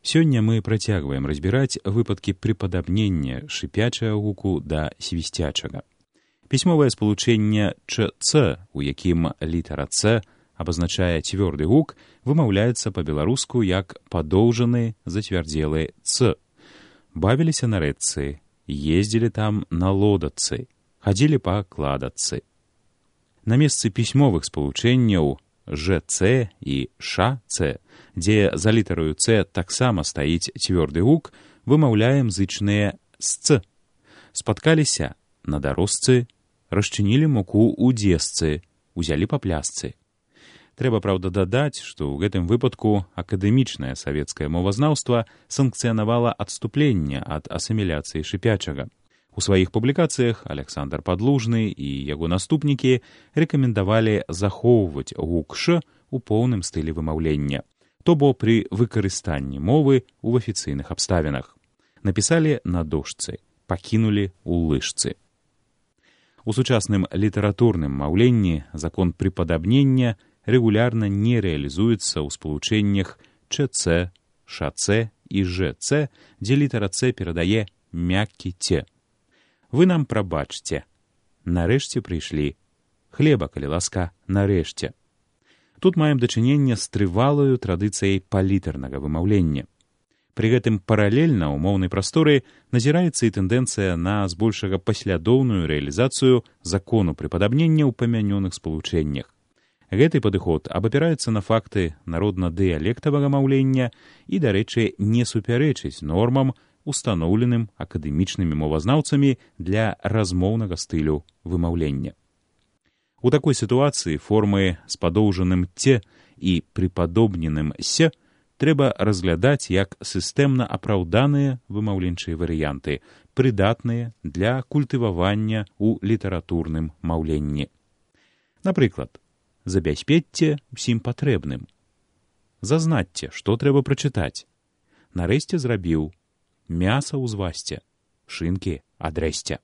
Сёння мы працягваем разбіраць выпадкі прыпадабнення шыпячага гуку да свісцячага. Пісьмовае спалучэнне «ЧЦ», у якім літара «Ц» абазначае цвёрды гук, вымаўляецца па-беларуску як падоўжаны зацвярдзелы «Ц». Бавіліся на рэчцы, ездзілі там на лодачцы, хадзілі па кладачцы. На месцы пісьмовых спалучэнняў «ЖЦ» і «ШЦ», дзе за літараю «Ц» таксама стаіць цвёрды гук, вымаўляем зычныя «сц». Спаткаліся на дарожцы, расчынілі муку ў дзесцы, узялі па плясцы. Трэба, праўда, дадаць, што ў гэтым выпадку акадэмічнае савецкае мовазнаўства санкцыянавала адступленне ад асіміляцыі шыпячага. У сваіх публікацыях Аляксандр Падлужны і яго наступнікі рэкамендавалі захоўваць гук «ш» у поўным стылі вымаўлення, то бо пры выкарыстанні мовы ў афіцыйных абставінах. Напісалі на дошцы, пакінулі ў лыжцы. У сучасным літаратурным маўленні закон прыпадабнення рэгулярна не рэалізуецца ў спалучэннях «ЧЦ», «ШЦ» і «ЖЦ», дзе літара «Ц» перадае мяккі «ц». Вы нам прабачце. Нарэшце прыйшлі. Хлеба, калі ласка, нарэшце. Тут маем дачыненне з трывалаю традыцыяй палітарнага вымаўлення. Пры гэтым паралельна ў моўнай прасторы назіраецца і тэндэнцыя на збольшага паслядоўную рэалізацыю закону прыпадабнення ў памянёных спалучэннях. Гэты падыход абапіраецца на факты народна-дыялектавага маўлення і, дарэчы, не супярэчыць нормам, устаноўленым акадэмічнымі мовазнаўцамі для размоўнага стылю вымаўлення. У такой сітуацыі формы з падоўжаным «ц» і прыпадобненым «с» трэба разглядаць як сістэмна апраўданыя вымаўленчыя варыянты, прыдатныя для культывавання ў літаратурным маўленні. Напрыклад, забяспечце ўсім патрэбным. Зазнацце, што трэба прачытаць. Нарэшце зрабіў. Мяса ўзвасце, шынкі адрэсце.